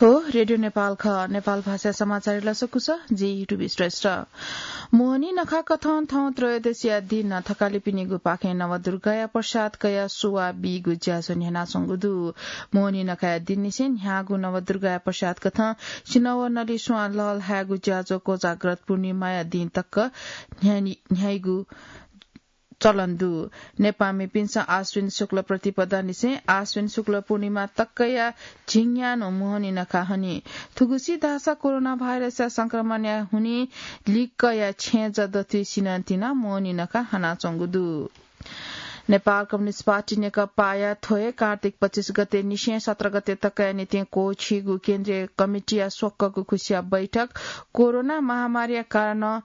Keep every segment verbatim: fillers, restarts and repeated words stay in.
हो, रेडियो नेपाल खः। नेपाल भाषा समाचार लसकुस, जि युट्युब श्रेष्ठ। मोहनी नखा कथं थौं त्रयोदशीया दिन थकालिपिनिगु पाखें नवदुर्गाया प्रसाद कयाः सुवा बीगु ज्याझ्वः न्ह्यानाच्वंगु दु। मोहनी नखाया दिननिसें न्ह्याःगु नवदुर्गाया प्रसाद कथं सिनव नलिस्वां लःल्हायेगु ज्याझ्वः कोजाग्रत पूर्णिमाया दिं तक न्ह्यानि-, न्ह्याइगु चलन दु। नेपाःमिपिन्सं आश्विन शुक्ल प्रतिपदानिसें आश्विन शुक्ल पूर्णिमा तकया झिंन्यान्हु मोहनी नखा हनी। थुगुसी धाःसा कोरोना भाइरसया संक्रमणया हुनिं लिक्कया छेँजः दथुइ सिनंतिनं मोहनी नखा हनाच्वंगु दु। नेपाल कम्युनिस्ट पार्टी नेकपाया थ्वय् कार्तिक पच्चिस गते निसें सत्र गते तकया निंतिं क्वःछिइगु केन्द्रीय कमिटीया स्वक्वःगु खुसिया बैठक कोरोना महामारीया कारणं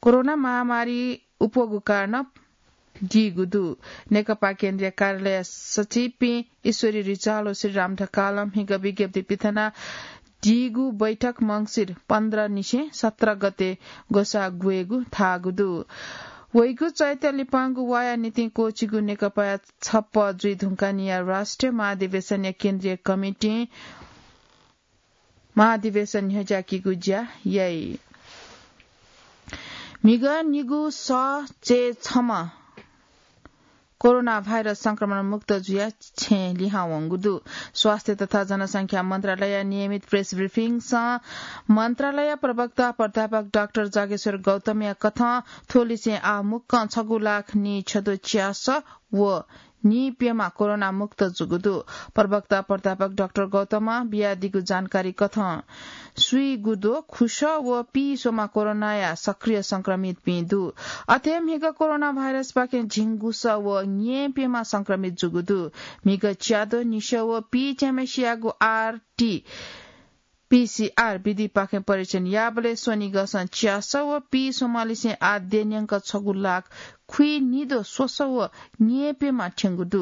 कोरोना महामारी अप्वःगु कारणं दीगु दु। नेकपा केन्द्रीय कार्यालय सचिवपिं ईश्वरी रिजाल व श्रीराम ढकालं म्हिगः विज्ञप्ति पिथना दीगु बैठक मंसिर पन्ध्र निसें सत्र गते ग्वसाः ग्वयेगु धाःगु दु। वइगु चैत्य लिपांगु वाःया निंतिं क्वःछिइगु नेकपाया छप्पँ जुइ धुंकानिया राष्ट्रिय महाधिवेशनया केन्द्रीय कमिटीं महाधिवेशन न्ह्यज्याकीगु ज्या याइ। म्हिगः निगू सः चय् छम्ह कोरोना भाइरस संक्रमण मुक्त जुयाः छेँ लिहां वंगु दु। स्वास्थ्य तथा जनसंख्या मन्त्रालयया नियमित प्रेस ब्रिफिङसं मन्त्रालय प्रवक्ता प्राध्यापक डाक्टर जागेश्वर गौतमया कथं थ्व लिसें आः मुक्कं छगू लाख नीछदँ च्यासः व नीप्यम्ह कोरोना मुक्त जूगु दु। प्रवक्ता प्राध्यापक डाक्टर गौतमं बियादीगु जानकारी कथं स्वीगुद्वः खुसः व पीस्वम्ह कोरोनाया सक्रिय संक्रमितपिं दु। अथे म्हिगः कोरोना भाइरसपाखें झिंगुसः व न्येप्यम्ह संक्रमित जूगु दु। म्हिगः च्याद्वः निसः व पीच्याम्हेसियागु आरटी पीसीआर विधिपाखें परीक्षण याःबलय् स्वनिगःसं च्यासः व पीस्वम्हलिसें आः द्यःन्यंक छगू लाख खुइनिद्वः स्वसः व न्येप्यम्ह थ्यंगु दु।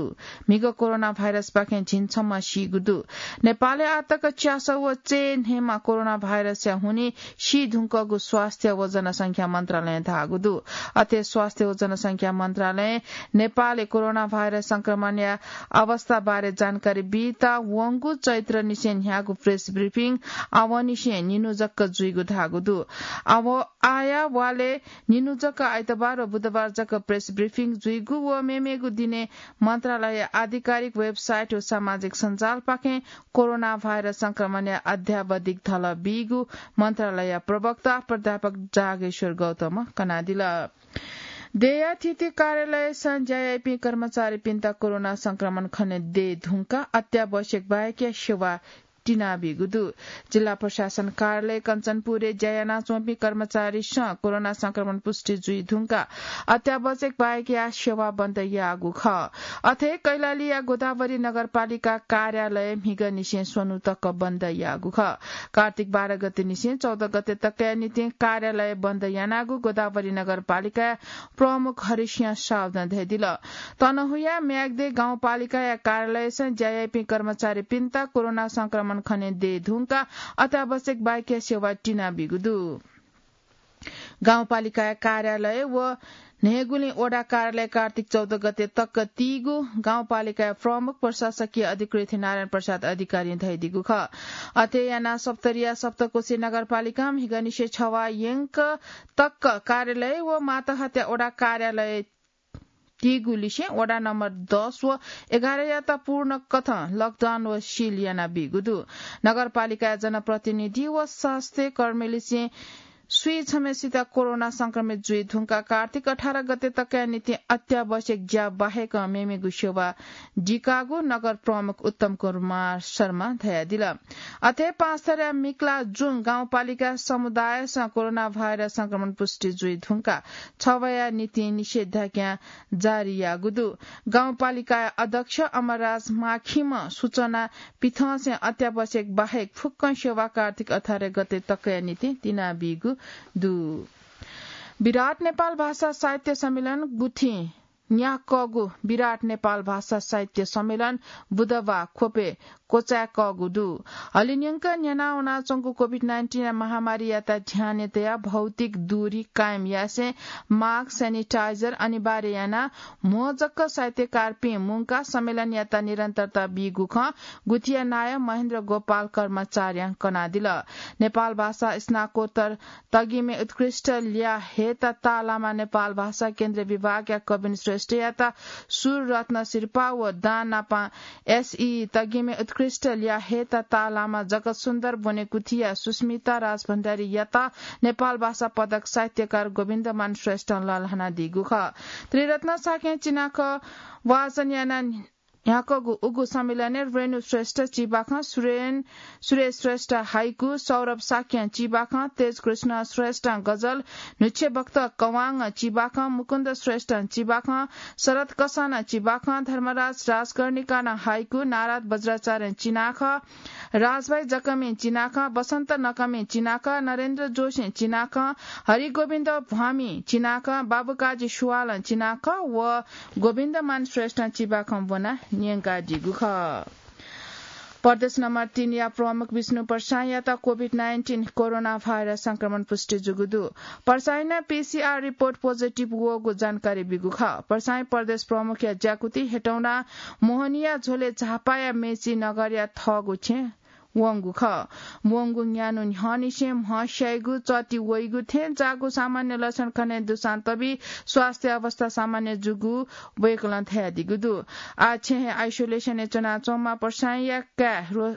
म्हिगः कोरोना भाइरसपाखें झिंछम्ह सीगु दु। नेपालय् आःतक च्यासः व चय् न्हय्म्ह कोरोना भाइरसया हुनिं सी धुंकूगु स्वास्थ्य व जनसंख्या मन्त्रालयं धाःगु दु। अथे स्वास्थ्य व जनसंख्या मन्त्रालयं नेपालय् कोरोना भाइरस संक्रमणया अवस्थाबारे जानकारी बीत वंगु चैत्र निसें न्ह्याःगु प्रेस ब्रिफिङ आवंनिसें निन्हु जक जुइगु धाःगु दु। आव-, आःया वालय् निन्हु जक आइतबार व बुधबार जक प्रेस ब्रिफिङ जुइगु व मेमेगु दिनय् मन्त्रालय आधिकारिक वेबसाइट व सामाजिक सञ्जालपाखें कोरोना भाइरस संक्रमणया अद्यावधिक धलः बीगु मन्त्रालय प्रवक्ता प्राध्यापक जागेश्वर गौतमं कनादिल। देय्‌या थीथी कार्यालयसं ज्या याइपिं कर्मचारीपिन्त कोरोना संक्रमण खने दये धुंकाः अत्यावश्यक बाहेकया सेवा तिनाबीगु दु। जिल्ला प्रशासन कार्यालय कञ्चनपुरय् ज्या यानाच्वंपिं कर्मचारीसं कोरोना संक्रमण पुष्टि जुइ धुंकाः अत्यावश्यक बाहेकया सेवा बन्द याःगु खः। अथे कैलालीया गोदावरी नगरपालिका कार्यालय म्हिगःनिसें स्वन्हु तक बन्द याःगु खः। कार्तिक बाह्र गते निसें चौध गते तकया निंतिं कार्यालय बन्द यानागु गोदावरी नगरपालिकाया प्रमुख हरिसिंह साउदं धयादिल। तनहुँया म्याग्दे गाउँपालिकाया कार्यालयसं ज्या याइपिं कर्मचारीपिन्त कोरोना संक्रमण खने दये धुंकाः अत्यावश्यक बाहेकया सेवा तिनाबीगु दु। गाउँपालिकाया कार्यालय व न्हय्‌गुलिं वडा कार्यालय कार्तिक चौध गते तक तीगु गाउँपालिकाया प्रमुख प्रशासकीय अधिकृत नारायण प्रसाद अधिकारीं धयादीगु खः। अथे यानाः सप्तरीया सप्तकोशी नगरपालिकां म्हिगःनिसें छवाः यंक तक कार्यालय व मातहतया वडा कार्यालय तीगु लिसें वडा नम्बर दस व एघारयात पूर्ण कथं लकडाउन व सिल यानाबीगु दु। नगरपालिकाया जनप्रतिनिधि व स्वास्थ्य कर्मीलिसें स्वीछम्हेसित कोरोना संक्रमित जुइ धुंकाः कार्तिक अठार गते तकया निंतिं अत्यावश्यक ज्या बाहेक मेमेगु सेवा दिकाःगु नगर प्रमुख उत्तम कुमार शर्मां धयादिल। अथे पाँचथरया मिक्ला जुङ गाउँपालिका समुदायसं कोरोना भाइरस संक्रमण पुष्टि जुइ धुंकाः छवाःया निंतिं निषेधाज्ञा जारी याःगु दु। गाउँपालिका अध्यक्ष अमरराज माखीम्ह सूचना पिथंसें अत्यावश्यक बाहेक फुक्कं सेवा कार्तिक अठार गते तकया निंतिं तिनाबीगु दु। विराट नेपाल भाषा साहित्य सम्मेलन गुथिं न्याक्वःगु विराट नेपाल भाषा साहित्य सम्मेलन बुधबाः ख्वपय् क्वचाय्कःगु दु। हलिंन्यंक न्यना वनाच्वंगु कोभिड नाइन्टिन महामारीयात ध्यानय् तयाः भौतिक दूरी कायम यासें मास्क, स्यानिटाइजर अनिवार्य यानाः म्हो जक साहित्यकारपिं मुंकाः सम्मेलनयात निरन्तरता बीगु खँ गुथिया नायः महेन्द्र गोपाल कर्माचार्यं कनादिल। नेपाल भाषा स्नाकोत्तर तगिमे उत्कृष्ट ल्याः हयेत ताःलाःम्ह नेपाल भाषा केन्द्रीय विभागया कविन श्रेष्ठयात सुर रत्न सिरपाः व दां नापं एसई तगिमे उत्कृष्ट ल्याः हयेत ताःलाःम्ह जगत सुन्दर ब्वनेकुथिया सुस्मिता राजभण्डारीयात नेपाल भाषा पदक साहित्यकार गोविन्दमान श्रेष्ठं लःल्हानादीगु खः। त्रिरत्न शाक्यं चिनाखँ वाचन यानाः न्ह्याकूगु उगु सम्मेलनय् रेणु श्रेष्ठ चिबाखं, सुरेन, सुरेश श्रेष्ठ हाइकु, सौरभ शाक्यं चिबाखं, तेजकृष्ण श्रेष्ठं गजल, न्हुच्छेबख्त कवाङं चिबाखं, मुकुन्द श्रेष्ठं चिबाखं, शरद कसानं चिबाखं, धर्मराज राजकर्णिकानं हाइकु, नारद वज्राचार्यं चिनाखँ, राजभाइ जकमिं चिनाखँ, बसन्त नकमिं चिनाखँ, नरेन्द्र जोशीं चिनाखँ, हरिगोविन्द भ्वामिं चिनाखँ, बाबुकाजी सुवालं चिनाखँ व गोविन्दमान श्रेष्ठं चिबाखं ब्वनाः न्यंकादीगु खः। प्रदेश नम्बर तीनया प्रमुख विष्णु प्रसाईंयात कोभिड नाइन्टिन कोरोना भाइरस संक्रमण पुष्टि जूगु दु। प्रसाईं नं पीसीआर रिपोर्ट पोजिटिभ वःगु जानकारी बीगु खः। प्रसाईं प्रदेश प्रमुखया ज्याकुथि हेटौडा मोहनिया झ्वलय् झापाया मेची नगरया थःगु छेँ वंगु खः। वंगु न्यान्हु न्ह्यःनिसें म्ह स्याइगु, चःति वइगु थें जाःगु सामान्य लक्षण खने दुसां तबि स्वास्थ्य अवस्था सामान्य जूगु वय्कलं धयादीगु दु। आः छेँ हे आइसोलेसनय् च्वनाच्वंम्ह प्रसाईंया काय् रो-,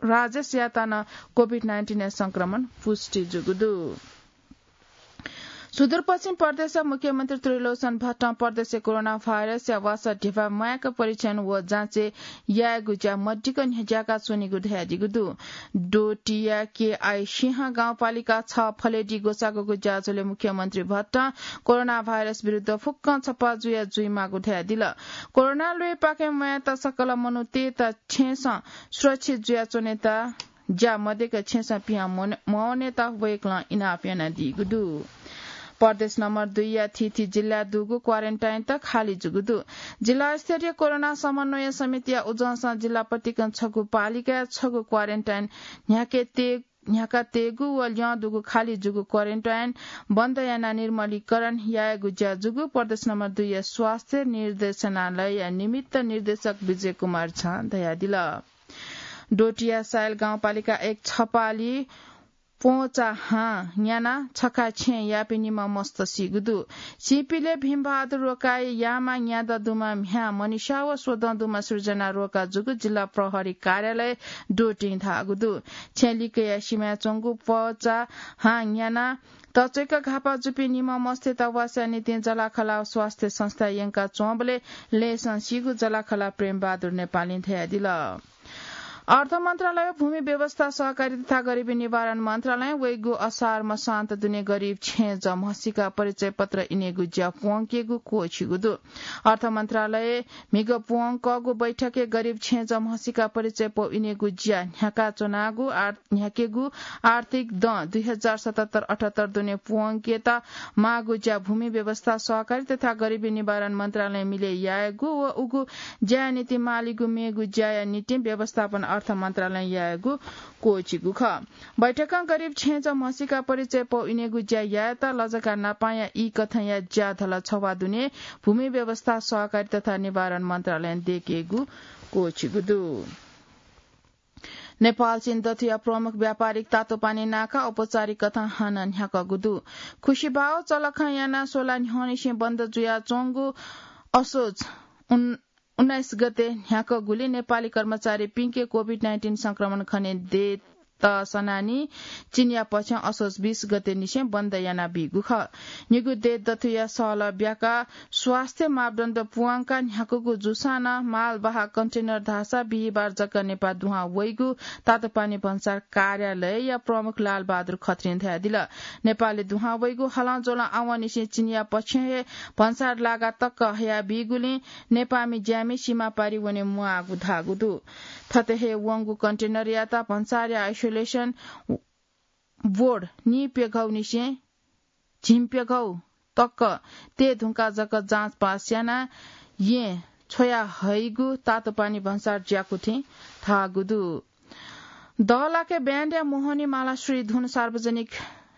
राजेशयात नं कोभिड नाइन्टिनया संक्रमण पुष्टि जूगु दु। सुदूरपश्चिम प्रदेशया मुख्यमन्त्री त्रिलोचन भट्टं प्रदेशय् कोरोना भाइरसया वासः ध्यबा म्वायेक परीक्षण व जाँचय् यायेगु ज्या मदिक्क न्ह्यज्याका च्वनीगु धयादीगु दु। डोटीया केआई सिंह गाउँपालिका छ फलेडी ग्वसाःगुगु ज्याझ्वलय् मुख्यमन्त्री भट्टं कोरोना भाइरस विरुद्ध फुक्कं छप्पा जुया जुइमाःगु धयादिल। कोरोना ल्वय्पाखें म्वायेत सकल मनूतय्त छेँसं सुरक्षित जुयाच्वनेत ज्या मदिक्क छेँसं पिहां मवनेत वय्कलं इनाप यानादीगु दु। प्रदेश नम्बर दुईया थीथी जिल्लाय् दुगु क्वारेन्टाइन त खाली जूगु दु। जिल्ला स्तरीय कोरोना समन्वय समितिया उजंसं जिल्ला पतिकं छगू पालिकाय् छगू क्वारेन्टाइन न्ह्याके ते-, न्ह्याका तेगु व ल्यं दुगु खाली जूगु क्वारेन्टाइन बन्द यानाः निर्मलीकरण यायेगु ज्या जूगु प्रदेश नम्बर दुईया स्वास्थ्य निर्देशनालयया निमित्त निर्देशक विजय कुमार झां धयादिल। डोटीया सायल गाउँपालिका एक छपाली प्वंचा हां न्यानाः छखा छेँ याःपिं निम्ह मस्त सीगु दु। सीपिले भीमबहादुर रोकाया यामा न्यादँ दुम्ह म्ह्याय् मनिषा व स्वदँ दुम्ह सृजना रोका जूगु जिल्ला प्रहरी कार्यालय डोटीं धाःगु दु। छेँ लिक्कया सिमाय् च्वंगु प्वंचा हां न्यानाः तच्वय्क घाःपाः जूपिं निम्ह मस्तय्त वासया निंतिं जलाखला स्वास्थ्य संस्था यंका च्वंबलय् लय्सं सीगु जलाखला प्रेमबहादुर नेपालीं धयादिल। अर्थ मन्त्रालय, भूमि व्यवस्था सहकारी तथा गरिबी निवारण मन्त्रालयं वइगु असार मसान्त दुने गरिब छेँजः म्हसीका परिचय पत्र इनेगु ज्या प्वंकेगु क्वःछिगु दु। अर्थ मन्त्रालय म्हिगः प्वंकःगु बैठकय् गरिब छेँजः म्हसीका परिचय पौ इनेगु ज्या न्ह्याका च्वनागु आर-, न्ह्याकेगु आर्थिक दँ दुई हजार सतहत्तर अठहत्तर दुने प्वंकेत माःगु ज्या भूमि व्यवस्था सहकारी तथा गरिबी निवारण मन्त्रालयं मिले यायेगु व उगु ज्याया निंतिं मालीगु मेगु ज्याया निंतिं व्यवस्थापन अर्थ मन्त्रालयं यायेगु क्वःछिगु खः। बैठकं गरिब छेँजः म्हसीका परिचय पौ इनेगु ज्या यायेत लजगाः नापांया ई कथंया ज्या धला छवाः दुने भूमि व्यवस्था सहकारी तथा निवारण मन्त्रालयं दयेकेगु क्वःछिगु दु। नेपाल चीन दथुया प्रमुख व्यापारिक तातोपानी नाका औपचारिक कथं हानं न्ह्याकःगु दु। खुसिभाव चलखं यानाः स्वला न्ह्यःनिसें बन्द जुयाच्वंगु असोज उन-, उन्नाइस गते न्ह्याकःगुलिं नेपाली कर्मचारीपिंके कोभिड नाइन्टिन संक्रमण खने दयेत सनानि चीनया पक्षं असोज बीस गते निसें बन्द यानाबीगु खः। निगू देय् दथुया सहलह ब्याकाः स्वास्थ्य मापदण्ड पुवांकाः न्ह्याकूगु जूसां नं मालवाहक कन्टेनर धाःसा बिहिबार जक नेपाः दुहां वइगु तातोपानी भन्सार कार्यालयया प्रमुख लालबहादुर खत्रीं धयादिल। नेपालय् दुहां वइगु हलंज्वलं आवंनिसें चीनया पक्षं हे भन्सार लागा तक हयाबीगुलिं नेपाःमि ज्यामि सीमा पारि वने म्वाःगु धाःगु दु। थथे हे वंगु कन्टेनरयात भन्सारया आइसोलेसन बोर्ड नीप्यघौनिसें झिंप्यघौ तक तये धुंकाः जक जाँच पास यानाः येँ छ्वया हइगु तातोपानी भन्सार ज्याकुथिं धाःगु दु। दहलाके ब्यान्डया मोहनी मालाश्री धुन सार्वजनिक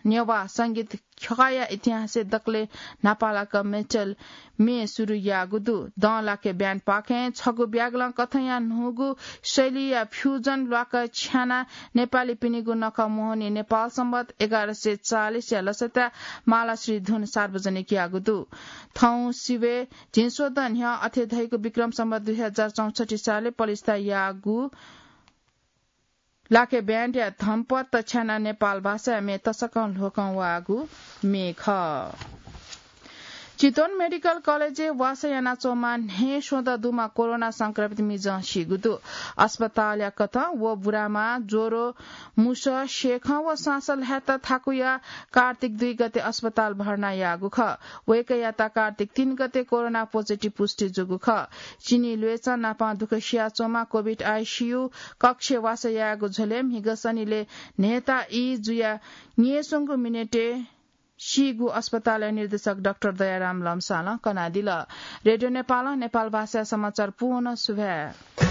नेवाः संगीत ख्यःया इतिहासय् दकले न्हापालाक मेटल म्ये सुरु याःगु दु। दहलाके ब्यान्डपाखें छगू ब्यागलं कथंया न्हूगु शैलीया फ्युजन ल्वाक छ्यानाः नेपालीपिनिगु नखः मोहनी नेपाल सम्बत एघार सय चालिसया लसता मालाश्री धुन सार्वजनिक याःगु दु। थौं सिबय् झिंस्वदँ न्ह्यः अथे धइगु विक्रम सम्बत दुई हजार चौसट्ठी सालय् पलिस्था याःगु लाके ब्यान्डया धम्पत छ्यानाः नेपाल भाषाया म्ये तसकं ल्ह्वकं वःगु म्ये खः। चितवन मेडिकल कलेजय् वासः यानाच्वंम्ह न्हय्स्वदँ दुम्ह कोरोना संक्रमित मिजं सीगु दु। अस्पतालया कथं व बुरामा ज्वरो, मुसः, स्येखं व स्वांस ल्हायेत थाकुया कार्तिक दुई गते अस्पताल भर्ना याःगु खः। वय्कःयात कार्तिक तीन गते कोरोना पोजिटिभ पुष्टि जूगु खः। चिनी ल्वय्चं नापं दुःख सियाच्वंम्ह कोभिड आइसियु कक्षय् वासः याःगु झ्वलय् म्हिगः सनिलय् न्हय्ता ई जुयाः न्यय्स्वंगु मिनेटय् सीगु अस्पतालया निर्देशक डाक्टर दयाराम लम्सालं कनादिल। रेडियो नेपालं नेपाल भाषाया समाचार पूवं सुभाय्।